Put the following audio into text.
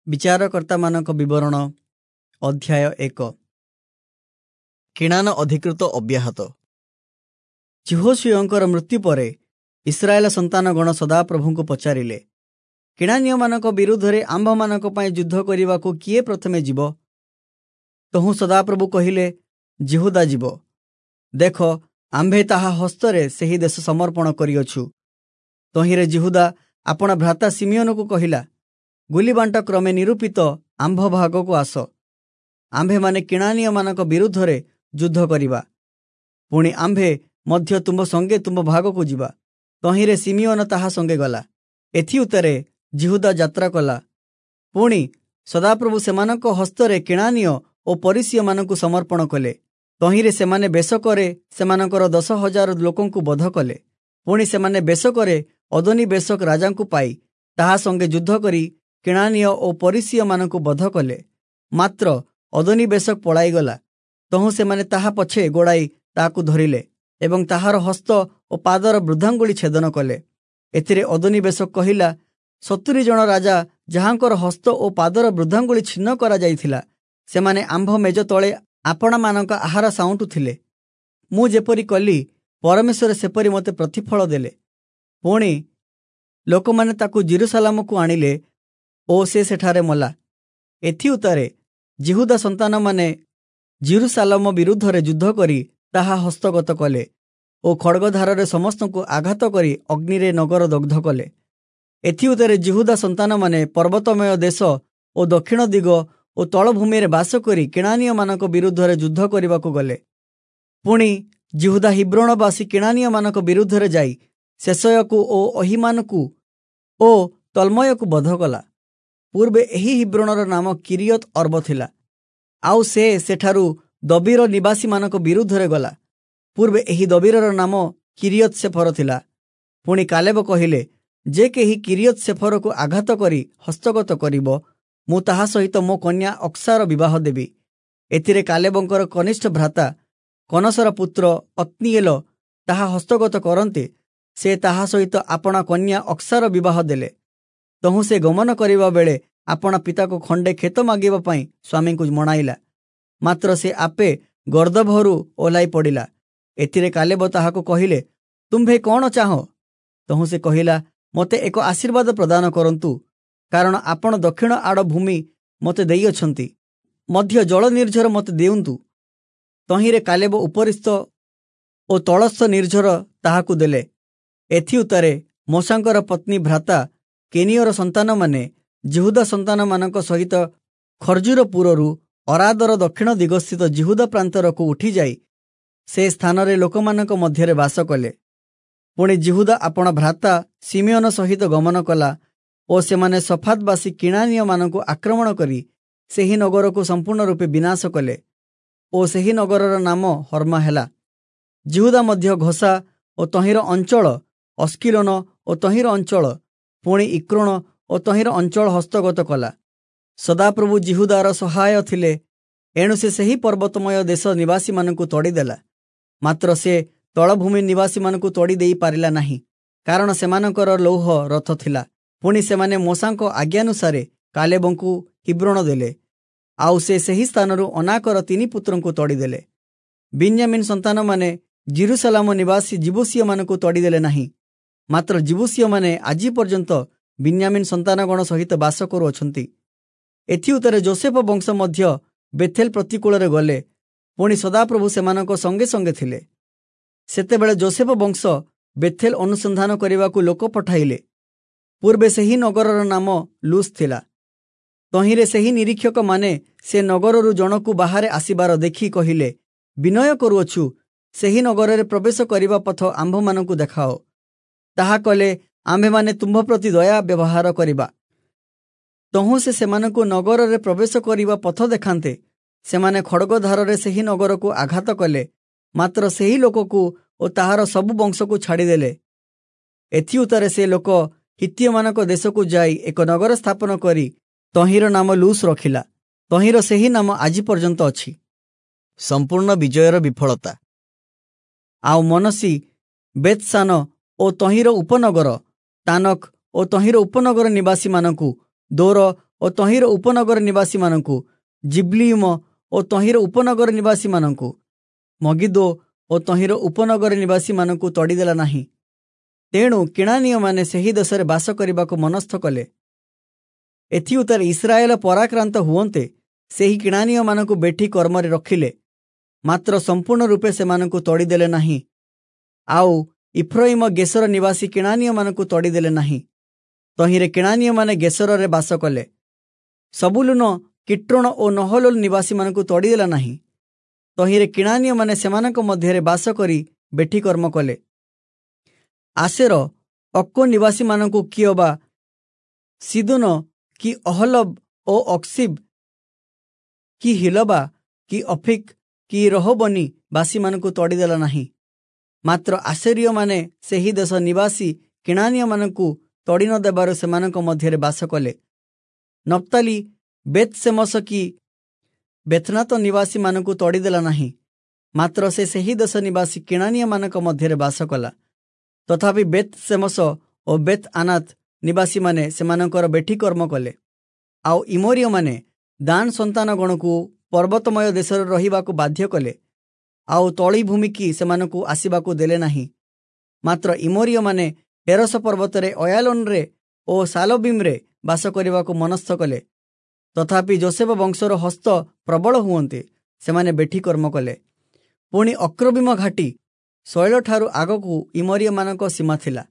ବିଚାରକର୍ତ୍ତାମାନଙ୍କ ବିବରଣ ଅଧ୍ୟାୟ 1। କିଣାନ ଅଧିକୃତ ଅବ୍ୟାହତ। ଯିହୋଶୂୟଙ୍କର ମୃତ୍ୟୁ ପରେ ଇସ୍ରାଏଲ ସନ୍ତାନଗଣ ସଦାପ୍ରଭୁଙ୍କୁ ପଚାରିଲେ, କିଣାନୀୟମାନଙ୍କ ବିରୁଦ୍ଧରେ ଆମ୍ଭମାନଙ୍କ ପାଇଁ ଯୁଦ୍ଧ କରିବାକୁ କିଏ ପ୍ରଥମେ ଯିବ? ତହୁଁ ସଦାପ୍ରଭୁ କହିଲେ, ଯିହୁଦା ଯିବ। ଦେଖ, ଆମ୍ଭେ ତାହା ହସ୍ତରେ ସେହି ଦେଶ ସମର୍ପଣ କରିଅଛୁ। ତହିଁରେ ଯିହୁଦା ଆପଣା ଭ୍ରାତା ଶିମିୟୋନକୁ କହିଲା, ଗୁଲିବାଣ୍ଟ କ୍ରମେ ନିରୂପିତ ଆମ୍ଭ ଭାଗକୁ ଆସ, ଆମ୍ଭେମାନେ କିଣାନୀୟମାନଙ୍କ ବିରୁଦ୍ଧରେ ଯୁଦ୍ଧ କରିବା, ପୁଣି ଆମ୍ଭେ ମଧ୍ୟ ତୁମ୍ଭ ସଙ୍ଗେ ତୁମ୍ଭ ଭାଗକୁ ଯିବା। ତହିଁରେ ଶିମିୟୋନ ତାହା ସଙ୍ଗେ ଗଲା। ଏଥିଉତ୍ତାରେ ଯିହୁଦା ଯାତ୍ରା କଲା। ପୁଣି ସଦାପ୍ରଭୁ ସେମାନଙ୍କ ହସ୍ତରେ କିଣାନୀୟ ଓ ପରିସୀୟମାନଙ୍କୁ ସମର୍ପଣ କଲେ। ତହିଁରେ ସେମାନେ ବେଶକରେ ସେମାନଙ୍କର 10,000 ଲୋକଙ୍କୁ ବଧ କଲେ। ପୁଣି ସେମାନେ ବେଶକରେ ଅଦୋନି ବେଶକ ରାଜାଙ୍କୁ ପାଇ ତାହା ସଙ୍ଗେ ଯୁଦ୍ଧ କରି କିଣାନୀୟ ଓ ପରିସୀୟମାନଙ୍କୁ ବଧ କଲେ। ମାତ୍ର ଅଦୋନି ବେଶକ ପଳାଇଗଲା। ତହୁଁ ସେମାନେ ତାହା ପଛେ ଗୋଡ଼ାଇ ତାହାକୁ ଧରିଲେ ଏବଂ ତାହାର ହସ୍ତ ଓ ପାଦର ବୃଦ୍ଧାଙ୍ଗୁଳି ଛେଦନ କଲେ। ଏଥିରେ ଅଦୋନି ବେଶକ କହିଲା, 70 ଜଣ ରାଜା ଯାହାଙ୍କର ହସ୍ତ ଓ ପାଦର ବୃଦ୍ଧାଙ୍ଗୁଳି ଛିନ୍ନ କରାଯାଇଥିଲା, ସେମାନେ ଆମ୍ଭ ମେଜ ତଳେ ଆପଣାମାନଙ୍କ ଆହାର ସାଉଁଟୁଥିଲେ। ମୁଁ ଯେପରି କଲି, ପରମେଶ୍ୱର ସେପରି ମୋତେ ପ୍ରତିଫଳ ଦେଲେ। ପୁଣି ଲୋକମାନେ ତାକୁ ଯିରୂଶାଲମକୁ ଆଣିଲେ ଓ ସେ ସେଠାରେ ମଲା। ଏଥିଉତ୍ତାରେ ଯିହୁଦା ସନ୍ତାନମାନେ ଯିରୂଶାଲମ ବିରୁଦ୍ଧରେ ଯୁଦ୍ଧ କରି ତାହା ହସ୍ତଗତ କଲେ ଓ ଖଡ଼ଗଧାରରେ ସମସ୍ତଙ୍କୁ ଆଘାତ କରି ଅଗ୍ନିରେ ନଗର ଦଗ୍ଧ କଲେ। ଏଥିଉତ୍ତାରେ ଯିହୁଦା ସନ୍ତାନମାନେ ପର୍ବତମୟ ଦେଶ ଓ ଦକ୍ଷିଣ ଦିଗ ଓ ତଳଭୂମିରେ ବାସ କରି କିଣାନୀୟମାନଙ୍କ ବିରୁଦ୍ଧରେ ଯୁଦ୍ଧ କରିବାକୁ ଗଲେ। ପୁଣି ଯିହୁଦା ହିବ୍ରୋଣବାସୀ କିଣାନୀୟମାନଙ୍କ ବିରୁଦ୍ଧରେ ଯାଇ ଶେଷୟକୁ ଓ ଅହିମାନକୁ ଓ ତଲ୍ମୟକୁ ବଧ କଲା। ପୂର୍ବେ ଏହି ହିବ୍ରୋଣର ନାମ କିରିୟତ ଅର୍ବ ଥିଲା। ଆଉ ସେ ସେଠାରୁ ଦବୀର ନିବାସୀମାନଙ୍କ ବିରୁଦ୍ଧରେ ଗଲା। ପୂର୍ବେ ଏହି ଦବୀରର ନାମ କିରିୟତ ସେଫର ଥିଲା। ପୁଣି କାଲେବ କହିଲେ, ଯେ କେହି କିରିୟତ ସେଫରକୁ ଆଘାତ କରି ହସ୍ତଗତ କରିବ, ମୁଁ ତାହା ସହିତ ମୋ କନ୍ୟା ଅକ୍ସାର ବିବାହ ଦେବି। ଏଥିରେ କାଲେବଙ୍କର କନିଷ୍ଠ ଭ୍ରାତା କନସର ପୁତ୍ର ଅତ୍ନୀଏଲ ତାହା ହସ୍ତଗତ କରନ୍ତେ, ସେ ତାହା ସହିତ ଆପଣା କନ୍ୟା ଅକ୍ସାର ବିବାହ ଦେଲେ। ତହୁଁ ସେ ଗମନ କରିବା ବେଳେ ଆପଣା ପିତାକୁ ଖଣ୍ଡେ କ୍ଷେତ ମାଗିବା ପାଇଁ ସ୍ୱାମୀଙ୍କୁ ମଣାଇଲା। ମାତ୍ର ସେ ଆପେ ଗର୍ଦ୍ଦଭରୁ ଓହ୍ଲାଇ ପଡ଼ିଲା। ଏଥିରେ କାଲେବ ତାହାକୁ କହିଲେ, ତୁମ୍ଭେ କ'ଣ ଚାହଁ? ତହୁଁ ସେ କହିଲା, ମୋତେ ଏକ ଆଶୀର୍ବାଦ ପ୍ରଦାନ କରନ୍ତୁ, କାରଣ ଆପଣ ଦକ୍ଷିଣ ଆଡ଼ ଭୂମି ମୋତେ ଦେଇଅଛନ୍ତି, ମଧ୍ୟ ଜଳ ନିର୍ଝର ମୋତେ ଦିଅନ୍ତୁ। ତହିଁରେ କାଲେବ ଉପରିସ୍ଥ ଓ ତଳସ୍ଥ ନିର୍ଝର ତାହାକୁ ଦେଲେ। ଏଥିଉତ୍ତାରେ ମୋଶାଙ୍କର ପତ୍ନୀ ଭ୍ରାତା କେନିୟର ସନ୍ତାନମାନେ ଯିହୁଦା ସନ୍ତାନମାନଙ୍କ ସହିତ ଖର୍ଜୁରପୁରରୁ ଅରାଦର ଦକ୍ଷିଣ ଦିଗସ୍ଥିତ ଯିହୁଦା ପ୍ରାନ୍ତରକୁ ଉଠିଯାଇ ସେ ସ୍ଥାନରେ ଲୋକମାନଙ୍କ ମଧ୍ୟରେ ବାସ କଲେ। ପୁଣି ଯିହୁଦା ଆପଣା ଭ୍ରାତା ଶିମିୟୋନ ସହିତ ଗମନ କଲା ଓ ସେମାନେ ସଫାତବାସୀ କିଣାନୀୟମାନଙ୍କୁ ଆକ୍ରମଣ କରି ସେହି ନଗରକୁ ସମ୍ପୂର୍ଣ୍ଣ ରୂପେ ବିନାଶ କଲେ ଓ ସେହି ନଗରର ନାମ ହର୍ମା ହେଲା। ଯିହୁଦା ମଧ୍ୟ ଘୋଷା ଓ ତହିଁର ଅଞ୍ଚଳ, ଅସ୍କିଲୋନ ଓ ତହିଁର ଅଞ୍ଚଳ, ପୁଣି ଇକ୍ରୋଣ ଓ ତହିଁର ଅଞ୍ଚଳ ହସ୍ତଗତ କଲା। ସଦାପ୍ରଭୁ ଯିହୁଦାର ସହାୟ ଥିଲେ, ଏଣୁ ସେ ସେହି ପର୍ବତମୟ ଦେଶ ନିବାସୀମାନଙ୍କୁ ତଡ଼ିଦେଲା। ମାତ୍ର ସେ ତଳଭୂମି ନିବାସୀମାନଙ୍କୁ ତଡ଼ି ଦେଇପାରିଲା ନାହିଁ, କାରଣ ସେମାନଙ୍କର ଲୌହ ରଥ ଥିଲା। ପୁଣି ସେମାନେ ମୋଶାଙ୍କ ଆଜ୍ଞାନୁସାରେ କାଲେବଙ୍କୁ ହିବ୍ରୋଣ ଦେଲେ। ଆଉ ସେ ସେହି ସ୍ଥାନରୁ ଅନାକର 3 ପୁତ୍ରଙ୍କୁ ତଡ଼ିଦେଲେ। ବିନ୍ୟାମିନ୍ ସନ୍ତାନମାନେ ଯିରୂଶାଲମ ନିବାସୀ ଯିବୂସୀୟମାନଙ୍କୁ ତଡ଼ିଦେଲେ ନାହିଁ, ମାତ୍ର ଯିବୂସୀୟମାନେ ଆଜି ପର୍ଯ୍ୟନ୍ତ ବିନ୍ୟାମିନ୍ ସନ୍ତାନଗଣ ସହିତ ବାସ କରୁଅଛନ୍ତି। ଏଥିଉତ୍ତାରେ ଯୋସେଫ ବଂଶ ମଧ୍ୟ ବେଥେଲ ପ୍ରତିକୂଳରେ ଗଲେ। ପୁଣି ସଦାପ୍ରଭୁ ସେମାନଙ୍କ ସଙ୍ଗେ ସଙ୍ଗେ ଥିଲେ। ସେତେବେଳେ ଯୋସେଫ ବଂଶ ବେଥେଲ ଅନୁସନ୍ଧାନ କରିବାକୁ ଲୋକ ପଠାଇଲେ। ପୂର୍ବେ ସେହି ନଗରର ନାମ ଲୁସ୍ ଥିଲା। ତହିଁରେ ସେହି ନିରୀକ୍ଷକମାନେ ସେ ନଗରରୁ ଜଣକୁ ବାହାରେ ଆସିବାର ଦେଖି କହିଲେ, ବିନୟ କରୁଅଛୁ, ସେହି ନଗରରେ ପ୍ରବେଶ କରିବା ପଥ ଆମ୍ଭମାନଙ୍କୁ ଦେଖାଅ। ତାହା କଲେ ଆମ୍ଭେମାନେ ତୁମ୍ଭ ପ୍ରତି ଦୟା ବ୍ୟବହାର କରିବା। ତହୁଁ ସେ ସେମାନଙ୍କୁ ନଗରରେ ପ୍ରବେଶ କରିବା ପଥ ଦେଖାନ୍ତେ, ସେମାନେ ଖଡ଼ଗଧାରରେ ସେହି ନଗରକୁ ଆଘାତ କଲେ, ମାତ୍ର ସେହି ଲୋକକୁ ଓ ତାହାର ସବୁ ବଂଶକୁ ଛାଡ଼ିଦେଲେ। ଏଥିଉତ୍ତାରେ ସେ ଲୋକ ହିତ୍ତୀୟମାନଙ୍କ ଦେଶକୁ ଯାଇ ଏକ ନଗର ସ୍ଥାପନ କରି ତହିଁର ନାମ ଲୁସ୍ ରଖିଲା। ତହିଁର ସେହି ନାମ ଆଜି ପର୍ଯ୍ୟନ୍ତ ଅଛି। ସମ୍ପୂର୍ଣ୍ଣ ବିଜୟର ବିଫଳତା। ଆଉ ମନସୀ ବେତ୍ସାନ ଓ ତହିଁର ଉପନଗର, ତାନକ ଓ ତହିଁର ଉପନଗର ନିବାସୀମାନଙ୍କୁ, ଦୋର ଓ ତହିଁର ଉପନଗର ନିବାସୀମାନଙ୍କୁ, ଜିବ୍ଲିୟିମ ଓ ତହିଁର ଉପନଗର ନିବାସୀମାନଙ୍କୁ, ମଗିଦୋ ଓ ତହିଁର ଉପନଗର ନିବାସୀମାନଙ୍କୁ ତଡ଼ିଦେଲା ନାହିଁ। ତେଣୁ କିଣାନୀୟମାନେ ସେହି ଦେଶରେ ବାସ କରିବାକୁ ମନସ୍ଥ କଲେ। ଏଥିଉତ୍ତାରେ ଇସ୍ରାଏଲ ପରାକ୍ରାନ୍ତ ହୁଅନ୍ତେ ସେହି କିଣାନୀୟମାନଙ୍କୁ ବେଠି କର୍ମରେ ରଖିଲେ, ମାତ୍ର ସମ୍ପୂର୍ଣ୍ଣ ରୂପେ ସେମାନଙ୍କୁ ତଡ଼ିଦେଲେ ନାହିଁ। ଆଉ ଇଫ୍ରଇମ ଗେସର ନିବାସୀ କିଣାନୀୟମାନଙ୍କୁ ତଡ଼ିଦେଲେ ନାହିଁ। ତହିଁରେ କିଣାନୀୟମାନେ ଗେସରରେ ବାସ କଲେ। ସବୁଲୁନ କିଟ୍ରୋଣ ଓ ନହଲୋଲ ନିବାସୀମାନଙ୍କୁ ତଡ଼ିଦେଲା ନାହିଁ। ତହିଁରେ କିଣାନୀୟମାନେ ସେମାନଙ୍କ ମଧ୍ୟରେ ବାସ କରି ବେଠି କର୍ମ କଲେ। ଆଶେର ଅକ୍କୋ ନିବାସୀମାନଙ୍କୁ କିଅବା ସିଦୋନ କି ଅହଲବ ଓ ଅକ୍ସିବ୍ କି ହିଲବା କି ଅଫିକ୍ କି ରହୋବନି ବାସୀମାନଙ୍କୁ ତଡ଼ିଦେଲା ନାହିଁ। ମାତ୍ର ଆଶେରୀୟମାନେ ସେହି ଦେଶ ନିବାସୀ କିଣାନୀୟମାନଙ୍କୁ ତଡ଼ି ନ ଦେବାରୁ ସେମାନଙ୍କ ମଧ୍ୟରେ ବାସ କଲେ। ନପ୍ତାଲି ବେତସେମସ କି ବେଥନାତ ନିବାସୀମାନଙ୍କୁ ତଡ଼ିଦେଲା ନାହିଁ, ମାତ୍ର ସେ ସେହି ଦେଶ ନିବାସୀ କିଣାନୀୟମାନଙ୍କ ମଧ୍ୟରେ ବାସ କଲା। ତଥାପି ବେତସେମସ ଓ ବେତ୍ ଆନାତ ନିବାସୀମାନେ ସେମାନଙ୍କର ବେଠି କର୍ମ କଲେ। ଆଉ ଇମୋରୀୟମାନେ ଦାନ ସନ୍ତାନଗଣକୁ ପର୍ବତମୟ ଦେଶରେ ରହିବାକୁ ବାଧ୍ୟ କଲେ, ଆଉ ତଳିଭୂମିକି ସେମାନଙ୍କୁ ଆସିବାକୁ ଦେଲେ ନାହିଁ। ମାତ୍ର ଇମୋରୀୟମାନେ ହେରସ ପର୍ବତରେ ଅୟାଲୋନରେ ଓ ସାଲବୀମରେ ବାସ କରିବାକୁ ମନସ୍ଥ କଲେ। ତଥାପି ଯୋସେଫ ବଂଶର ହସ୍ତ ପ୍ରବଳ ହୁଅନ୍ତେ ସେମାନେ ବେଠି କର୍ମ କଲେ। ପୁଣି ଅକ୍ରବୀମ ଘାଟି ଶୈଳଠାରୁ ଆଗକୁ ଇମୋରୀୟମାନଙ୍କ ସୀମା ଥିଲା।